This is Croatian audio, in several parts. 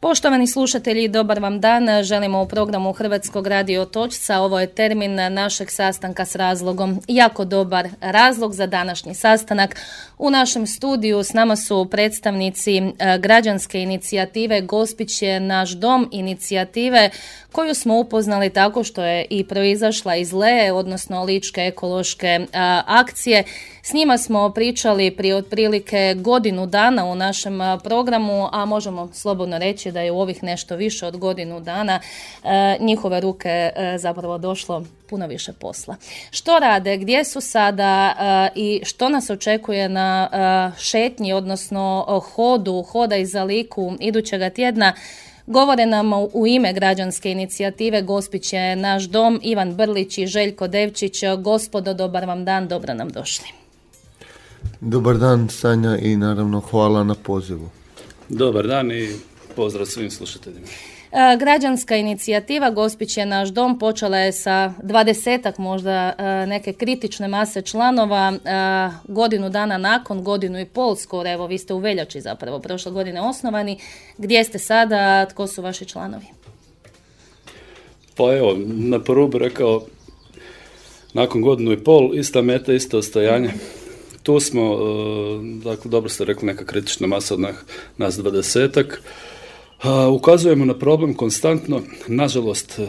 Poštovani slušatelji, dobar vam dan. Želimo u programu Hrvatskog radio Točca. Ovo je termin našeg sastanka s razlogom. Jako dobar razlog za današnji sastanak. U našem studiju s nama su predstavnici građanske inicijative Gospić je naš dom, inicijative koju smo upoznali tako što je i proizašla iz LEE, odnosno Ličke ekološke akcije. S njima smo pričali prije otprilike godinu dana u našem programu, a možemo slobodno reći da je u ovih nešto više od godinu dana njihove ruke zapravo došlo puno više posla. Što rade, gdje su sada i što nas očekuje na šetnji, odnosno hoda iza Liku idućega tjedna, govore nam u ime građanske inicijative Gospić je naš dom Ivan Brlić i Željko Devčić. Gospodo, dobar vam dan, dobro nam došli. Dobar dan, Sanja, i naravno hvala na pozivu. Dobar dan i pozdrav svim slušateljima. Građanska inicijativa Gospić je naš dom počela je sa 20-ak možda neke kritične mase članova. Godinu dana nakon, godinu i pol skoro, evo vi ste u veljači zapravo prošle godine osnovani. Gdje ste sada, tko su vaši članovi? Pa evo, na prvu bih rekao, nakon godinu i pol, ista meta, isto ostajanje. Tu smo, dakle, dobro ste rekli, neka kritična masa od nas 20-ak. Ukazujemo na problem konstantno, nažalost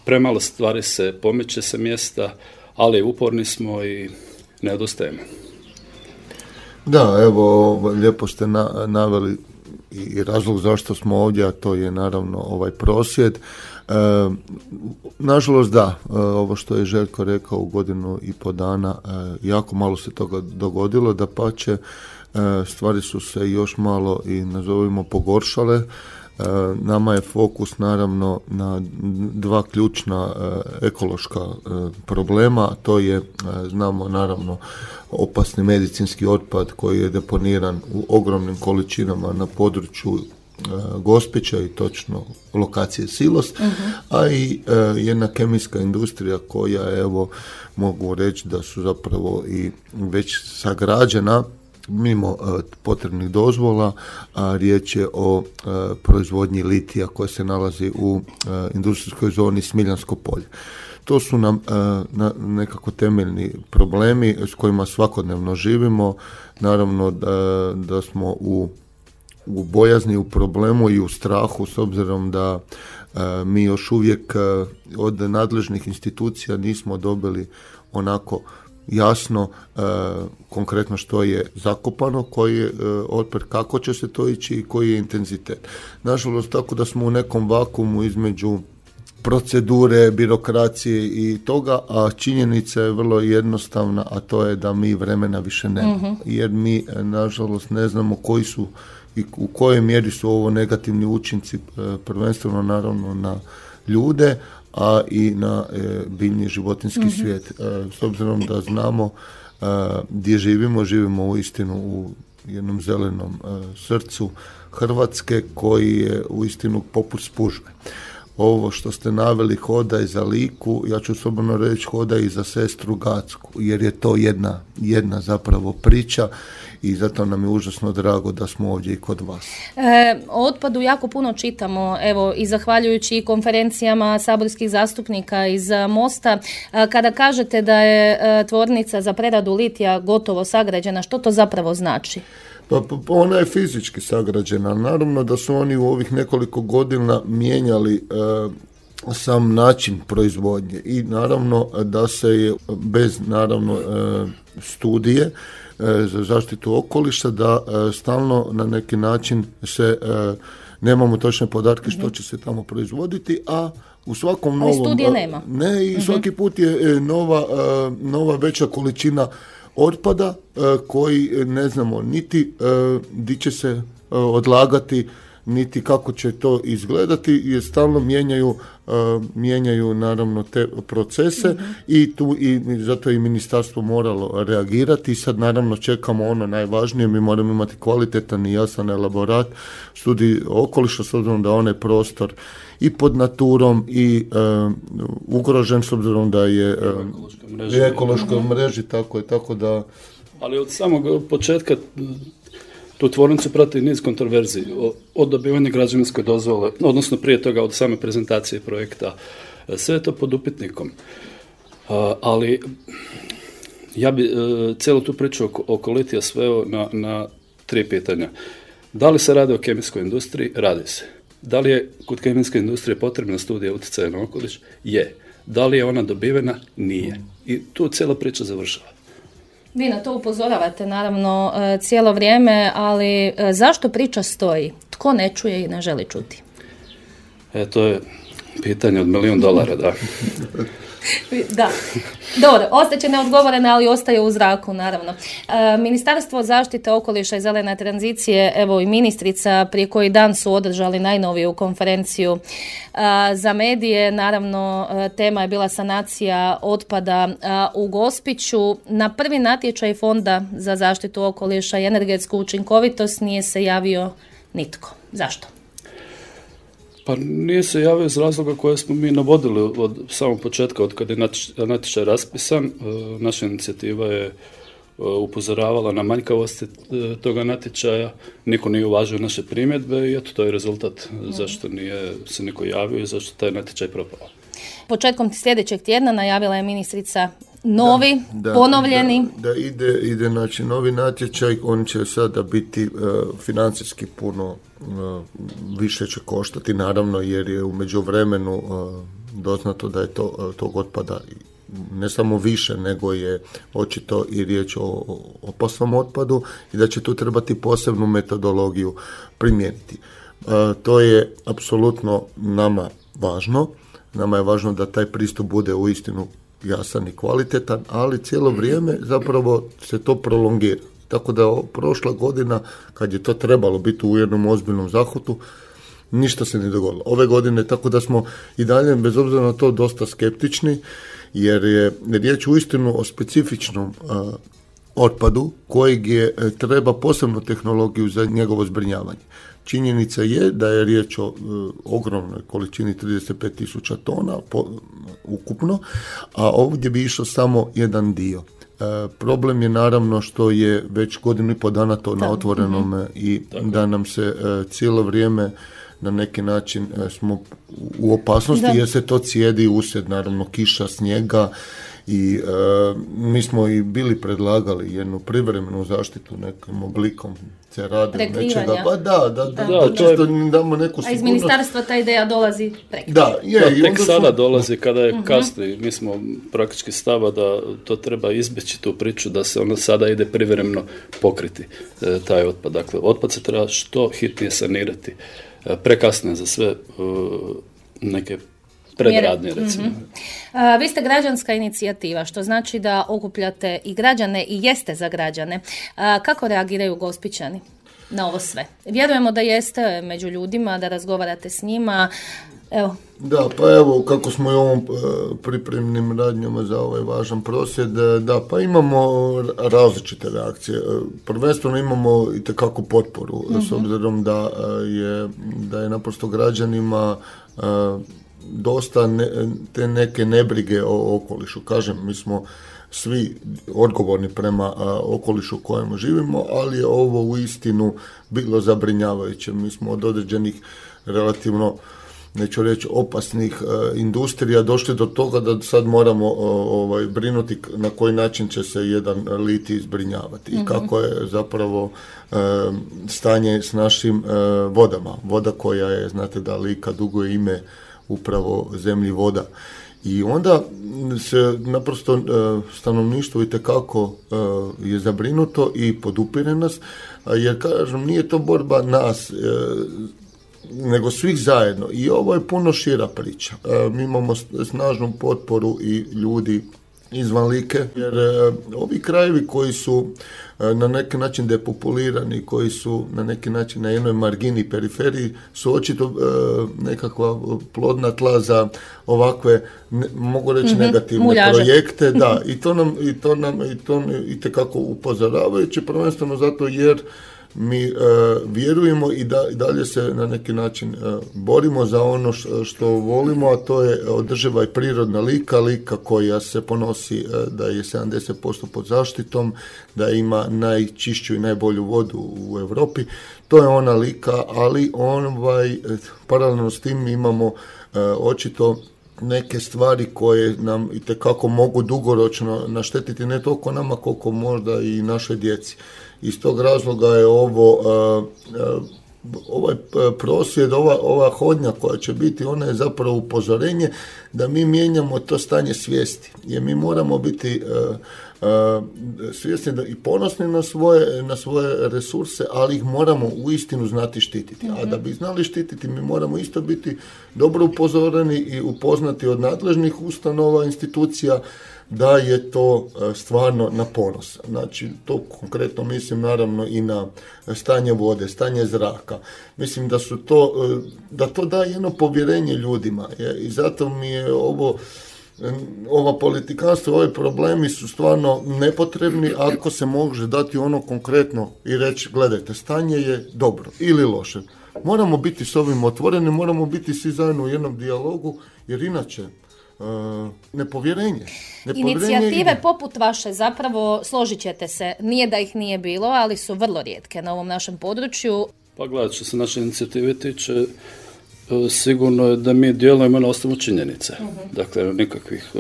premalo stvari se pomiče se mjesta, ali uporni smo i ne odustajemo. Da, evo, lijepo ste naveli i razlog zašto smo ovdje, a to je naravno ovaj prosvjed. Nažalost da, ovo što je Željko rekao, u godinu i po dana jako malo se toga dogodilo, dapače stvari su se još malo i nazovimo pogoršale. Nama je fokus naravno na dva ključna ekološka problema, to je, znamo naravno, opasni medicinski otpad koji je deponiran u ogromnim količinama na području Gospića i točno lokacije Silos, a i jedna kemijska industrija koja, evo, mogu reći da su zapravo i već sagrađena mimo potrebnih dozvola, a riječ je o proizvodnji litija koja se nalazi u industrijskoj zoni Smiljansko polje. To su nam nekako temeljni problemi s kojima svakodnevno živimo. Naravno da smo u bojazni, u problemu i u strahu, s obzirom da mi još uvijek od nadležnih institucija nismo dobili onako jasno, konkretno što je zakopano, koji je otpad, kako će se to ići i koji je intenzitet. Nažalost, tako da smo u nekom vakuumu između procedure, birokracije i toga, a činjenica je vrlo jednostavna, a to je da mi vremena više nemamo. Jer mi, nažalost, ne znamo koji su i u kojoj mjeri su ovo negativni učinci, prvenstveno naravno na ljude, a i na biljni životinjski svijet. S obzirom da znamo gdje živimo uistinu u jednom zelenom srcu Hrvatske koji je uistinu poput spužve. Ovo što ste naveli, hoda i za Liku, ja ću slobodno reći hoda i za sestru Gacku, jer je to jedna zapravo priča i zato nam je užasno drago da smo ovdje i kod vas. O otpadu jako puno čitamo, evo, i zahvaljujući konferencijama saborskih zastupnika iz Mosta. Kada kažete da je tvornica za preradu litija gotovo sagrađena, što to zapravo znači? Pa ona je fizički sagrađena. Naravno da su oni u ovih nekoliko godina mijenjali sam način proizvodnje i naravno da se je bez naravno studije za zaštitu okoliša da stalno na neki način se nemamo točne podatke što će se tamo proizvoditi, a u svakom novom... Ali studije nema. Ne, i svaki put je nova veća količina otpada koji ne znamo niti di će se odlagati, niti kako će to izgledati, jer stalno mijenjaju naravno te procese i zato je i ministarstvo moralo reagirati i sad naravno čekamo ono najvažnije, mi moramo imati kvalitetan i jasan elaborat studij okoliša, s obzirom da onaj prostor i pod naturom i ugrožen, s obzirom da je ekološkoj mreži, tako da... Ali od samog početka Tu tvornicu prati niz kontroverziji, od dobivanja građevinske dozvole, odnosno prije toga od same prezentacije projekta, sve je to pod upitnikom. Ali ja bi cijelu tu priču oko litija sveo na 3 pitanja. Da li se radi o kemijskoj industriji? Radi se. Da li je kod kemijske industrije potrebna studija utjecaja na okoliš? Je. Da li je ona dobivena? Nije. I tu cijela priča završava. Vi na to upozoravate naravno cijelo vrijeme, ali zašto priča stoji? Tko ne čuje i ne želi čuti? To je pitanje od $1 milion, da. Da, dobro, ostaće neodgovorene, ali ostaje u zraku, naravno. Ministarstvo zaštite okoliša i zelene tranzicije, evo i ministrica, prije koji dan su održali najnoviju konferenciju za medije. Naravno, tema je bila sanacija otpada u Gospiću. Na prvi natječaj Fonda za zaštitu okoliša i energetsku učinkovitost nije se javio nitko. Zašto? Pa nije se javio iz razloga koje smo mi navodili od samog početka, od kada je natječaj raspisan. Naša inicijativa je upozoravala na manjkavosti toga natječaja, niko nije uvažio naše primjedbe i eto, to je rezultat zašto nije se niko javio i zašto taj natječaj propao. Početkom sljedećeg tjedna najavila je ministrica novi, ponovljeni. Da ide znači novi natječaj, on će sada biti financijski puno više će koštati, naravno, jer je u međuvremenu doznato da je tog otpada ne samo više, nego je očito i riječ o opasnom otpadu i da će tu trebati posebnu metodologiju primijeniti. To je apsolutno nama važno. Nama je važno da taj pristup bude uistinu jasan i kvalitetan, ali cijelo vrijeme zapravo se to prolongira. Tako da prošla godina, kad je to trebalo biti u jednom ozbiljnom zahvatu, ništa se ne dogodilo. Ove godine, tako da smo i dalje, bez obzira na to, dosta skeptični, jer je riječ uistinu o specifičnom otpadu kojeg treba posebnu tehnologiju za njegovo zbrinjavanje. Činjenica je da je riječ o ogromnoj količini 35.000 tona ukupno, a ovdje bi išao samo jedan dio. Problem je naravno što je već 1.5 dana to na otvorenom i da nam se cijelo vrijeme na neki način smo u opasnosti jer se to cijedi usred naravno kiša, snijega i mi smo i bili predlagali jednu privremenu zaštitu nekim oblikom cerade, nečega. Pa da, čisto damo neku sigurnost. A iz ministarstva ta ideja dolazi preko. Tek sada dolazi kada je kasno i mi smo praktički stava da to treba izbjeći tu priču, da se ono sada ide privremeno pokriti taj otpad. Dakle, otpad se treba što hitnije sanirati. Prekasno je za sve neke predradnje, recimo. Vi ste građanska inicijativa, što znači da okupljate i građane i jeste za građane. Kako reagiraju Gospićani na ovo sve? Vjerujemo da jeste među ljudima, da razgovarate s njima. Evo. Da, pa evo, kako smo i u ovom pripremnim radnjama za ovaj važan prosvjed, da, pa imamo različite reakcije. Prvenstveno imamo itekako potporu, s obzirom da je naprosto građanima dosta te neke nebrige o okolišu. Kažem, mi smo svi odgovorni prema okolišu u kojem živimo, ali je ovo uistinu bilo zabrinjavajuće. Mi smo od određenih relativno, neću reći, opasnih industrija došli do toga da sad moramo brinuti na koji način će se jedan litij zbrinjavati i kako je zapravo stanje s našim vodama. Voda koja je, znate da Lika duguje ime upravo zemlji voda. I onda se naprosto stanovništvo itekako je zabrinuto i podupire nas, jer kažem, nije to borba nas, nego svih zajedno. I ovo je puno šira priča. Mi imamo snažnu potporu i ljudi izvan Like, jer ovi krajevi koji su na neki način depopulirani, koji su na neki način na jednoj margini, periferiji, su očito nekakva plodna tla za ovakve, mogu reći, negativne projekte. Da, i to nam itekako upozoravajuće, prvenstveno zato jer Mi vjerujemo i dalje se na neki način borimo za ono što volimo, a to je održiva i prirodna Lika koja se ponosi da je 70% pod zaštitom, da ima najčišću i najbolju vodu u Europi. To je ona Lika, ali paralelno s tim imamo očito neke stvari koje nam itekako mogu dugoročno naštetiti ne toliko nama koliko možda i našoj djeci. Iz tog razloga je ovaj prosvjed, ova hodnja koja će biti, ona je zapravo upozorenje da mi mijenjamo to stanje svijesti. Jer mi moramo biti svjesni i ponosni na svoje resurse, ali ih moramo uistinu znati štititi. A da bi znali štititi, mi moramo isto biti dobro upozoreni i upoznati od nadležnih ustanova, institucija, da je to stvarno na ponos. Znači, to konkretno mislim naravno i na stanje vode, stanje zraka. Mislim da to daje jedno povjerenje ljudima. I zato mi je ova politikanstva, ovi problemi su stvarno nepotrebni ako se može dati ono konkretno i reći, gledajte, stanje je dobro ili loše. Moramo biti s ovim otvoreni, moramo biti svi zajedno u jednom dijalogu, jer inače nepovjerenje. Inicijative poput vaše, zapravo, složit ćete se, nije da ih nije bilo, ali su vrlo rijetke na ovom našem području. Pa gledaj, što se naše inicijative tiče, sigurno je da mi djelujemo na osnovu činjenice. Dakle, nikakvih,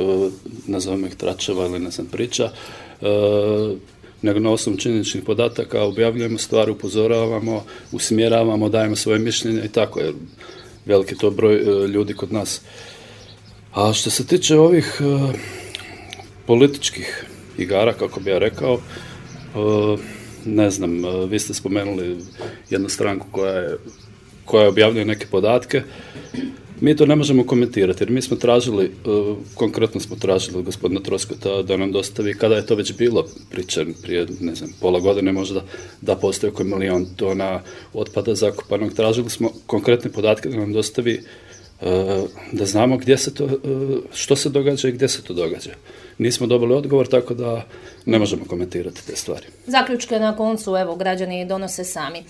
nazovimo ih tračeva ili priča, nego na osnovu činjeničnih podataka objavljujemo stvari, upozoravamo, usmjeravamo, dajemo svoje mišljenje i tako, jer veliki to broj ljudi kod nas. A što se tiče ovih političkih igara, kako bi ja rekao, ne znam, vi ste spomenuli jednu stranku koja objavljuje neke podatke. Mi to ne možemo komentirati, jer mi smo tražili, konkretno smo tražili gospodina Troskota da nam dostavi, kada je to već bilo pričan prije, ne znam, pola godine možda, da postoji oko 1 milion tona otpada zakopanog. Tražili smo konkretne podatke da nam dostavi, da znamo gdje se to, što se događa i gdje se to događa. Nismo dobili odgovor, tako da ne možemo komentirati te stvari. Zaključke na koncu, evo, građani donose sami.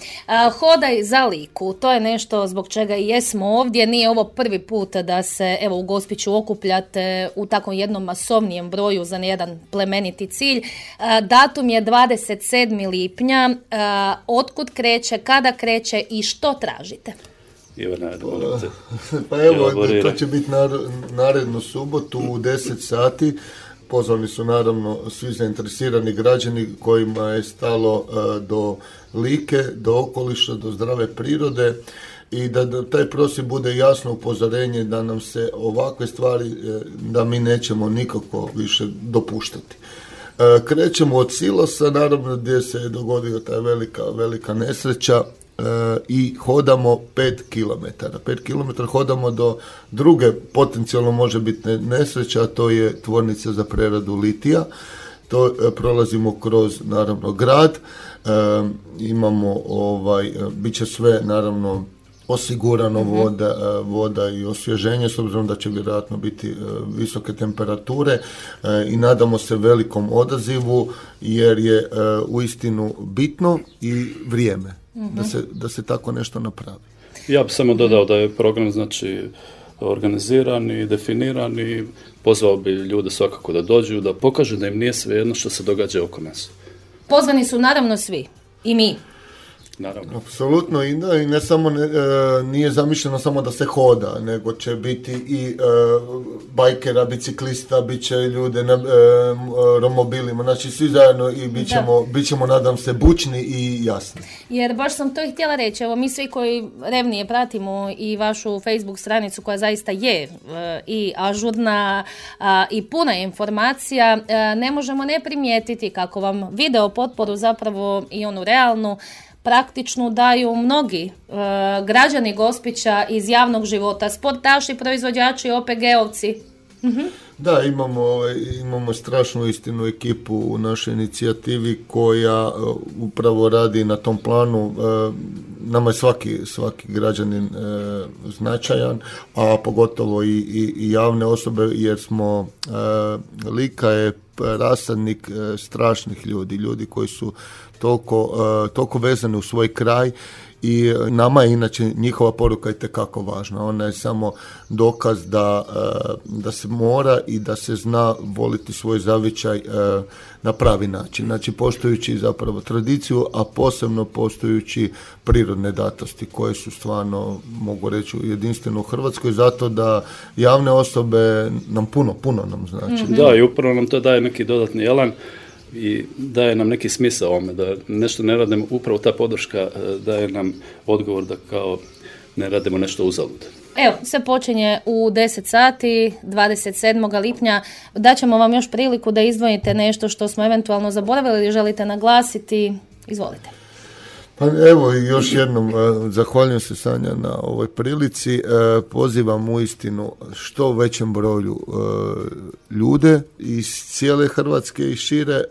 Hodaj za Liku, to je nešto zbog čega i jesmo ovdje. Nije ovo prvi put da se, evo, u Gospiću okupljate u takvom jednom masovnijem broju za jedan plemeniti cilj. Datum je 27. lipnja. Otkud kreće, kada kreće i što tražite? Pa evo, to će biti narednu subotu u 10 sati. Pozvani su naravno svi zainteresirani građani kojima je stalo do Like, do okoliša, do zdrave prirode i da taj prosvjed bude jasno upozorenje da nam se ovakve stvari, da mi nećemo nikako više dopuštati. Krećemo od silosa, naravno gdje se je dogodila ta velika nesreća, i hodamo 5 km. 5 km hodamo do druge potencijalno može biti nesreća, a to je tvornica za preradu litija. To prolazimo kroz naravno grad, imamo bit će sve naravno osigurano, voda i osvježenje, s obzirom da će vjerojatno biti visoke temperature i nadamo se velikom odazivu, jer je uistinu bitno i vrijeme da se tako nešto napravi. Ja bih samo dodao da je program organiziran i definiran i pozvao bi ljude svakako da dođu, da pokažu da im nije svejedno što se događa oko nas. Pozvani su naravno svi, i mi. Naravno. Apsolutno, i ne samo nije zamišljeno samo da se hoda, nego će biti i bajkera, biciklista, bit će ljude na romobilima, znači svi zajedno i bit ćemo, nadam se, bučni i jasni. Jer baš sam to i htjela reći, evo mi svi koji revnije pratimo i vašu Facebook stranicu koja zaista je i ažurna i puna informacija, ne možemo ne primijetiti kako vam video potporu, zapravo i onu realnu, praktičnu, daju mnogi građani Gospića iz javnog života, sportaši, proizvođači, OPG-ovci. Da, imamo strašnu istinu ekipu u našoj inicijativi koja upravo radi na tom planu. Nama je svaki građanin značajan, a pogotovo i javne osobe, jer smo Lika je rasadnik strašnih ljudi koji su toliko vezani u svoj kraj i nama je inače njihova poruka itekako važna. Ona je samo dokaz da se mora i da se zna voliti svoj zavičaj na pravi način. Znači poštujući zapravo tradiciju, a posebno poštujući prirodne datosti koje su stvarno, mogu reći, jedinstveno u Hrvatskoj, zato da javne osobe nam puno nam znači. Da, i upravo nam to daje neki dodatni elan i daje nam neki smisao ovome, da nešto ne radimo, upravo ta podrška daje nam odgovor da kao ne radimo nešto uzalud. Evo, sve počinje u 10 sati, 27. lipnja. Daćemo vam još priliku da izdvojite nešto što smo eventualno zaboravili ili želite naglasiti. Izvolite. Pa evo, još jednom zahvaljujem se, Sanja, na ovoj prilici. Pozivam uistinu što većem broju ljude iz cijele Hrvatske i šire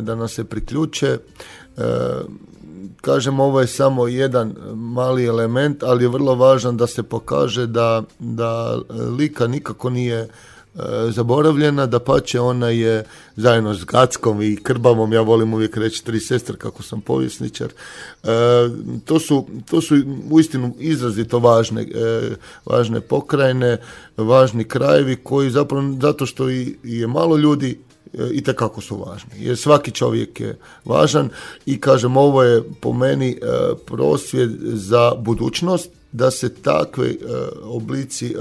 da nas se priključe. Kažem, ovo je samo jedan mali element, ali je vrlo važan da se pokaže da Lika nikako nije zaboravljena, dapače ona je zajedno s Gackom i Krbavom, ja volim uvijek reći 3 sestre kako sam povjesničar, to su uistinu izrazito važne pokrajine, važni krajevi koji zapravo, zato što je malo ljudi, itekako su važni, jer svaki čovjek je važan i kažem, ovo je po meni prosvjed za budućnost, da se takve oblici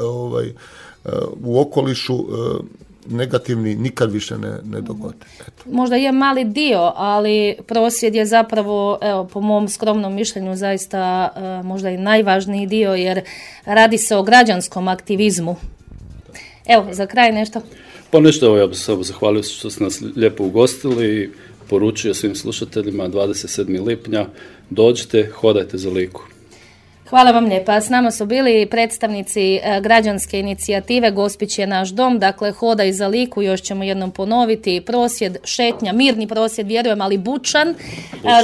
u okolišu negativni nikad više ne dogode. Eto. Možda je mali dio, ali prosvjed je zapravo, evo, po mom skromnom mišljenju, zaista možda i najvažniji dio, jer radi se o građanskom aktivizmu. Evo, za kraj nešto. Pa nešto, evo, ja bih se zahvalio što ste nas lijepo ugostili i poručio svim slušateljima 27. lipnja, dođite, hodajte za Liku. Hvala vam lijepa. S nama su bili predstavnici građanske inicijative Gospić je naš dom, dakle Hodaj za Liku, još ćemo jednom ponoviti, prosvjed, šetnja, mirni prosvjed, vjerujem, ali bučan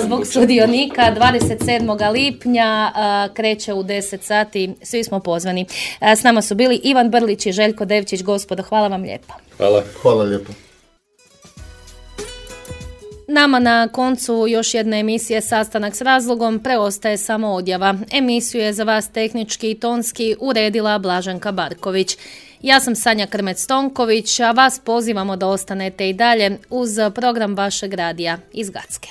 zbog sudionika 27. lipnja, kreće u 10 sati, svi smo pozvani. S nama su bili Ivan Brlić i Željko Devčić, gospodo, hvala vam lijepa. Hvala lijepa. Nama na koncu još jedne emisije Sastanak s razlogom, preostaje samo odjava. Emisiju je za vas tehnički i tonski uredila Blaženka Barković. Ja sam Sanja Krmec-Tonković, a vas pozivamo da ostanete i dalje uz program vašeg radija iz Gacke.